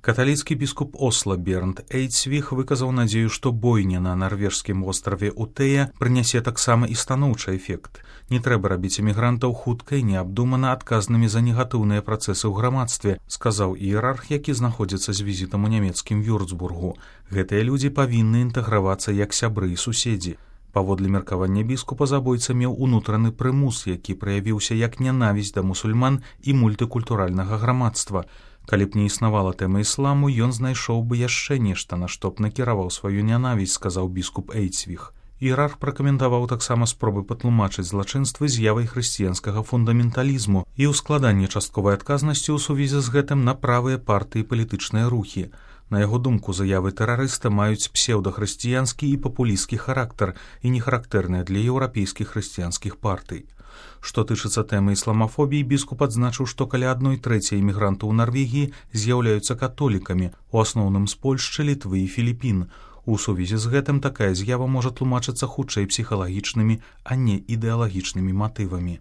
Каталіцкі біскуп Осла Бернд Эйцвіх выказаў надзею, што бойня на нарвежскім востраве Утэя прынясе таксама і станоўчы эфект. Не трэба рабіць эмігрантаў хутка і неабдумана адказнымі за негатыўныя працэсы ў грамадстве, сказаў іерарх, які знаходзіцца з візітам у нямецкім Вюрцбургу. Гэтыя людзі павінны інтэгравацца як сябры і суседзі. Паводле меркавання біскупа, забойца меў унутраны прымус, які праявіўся як нянавісць да мусульман і мультыкультуральнага грамадства. Калі б не існавала тэма ісламу, ён знайшоў бы яшчэ нешта, на што б накіраваў сваю нянавісць, сказаў біскуп Эйцвіх. Іерарх пракаментаваў таксама спробы патлумачыць злачынствы з'явай хрысціянскага фундаменталізму і ўскладанне частковай адказнасці ў сувязі з гэтым на правыя партыі і палітычныя рухі. На яго думку, заявы тэрарыста маюць псеўдахрысціянскі і папулісцкі характар і не характэрныя для еўрапейскіх хрысціянскіх партый. Што тычыцца тэмы ісламафобіі, біскуп адзначыў, што каля 1/3 імігрантаў у Нарвегіі з'яўляюцца католікамі, у асноўным з Польшчы, Літвы і Філіпін. У сувязі з гэтым такая з'ява можа тлумачыцца хутчэй псіхалагічнымі, а не ідэалагічнымі матывамі.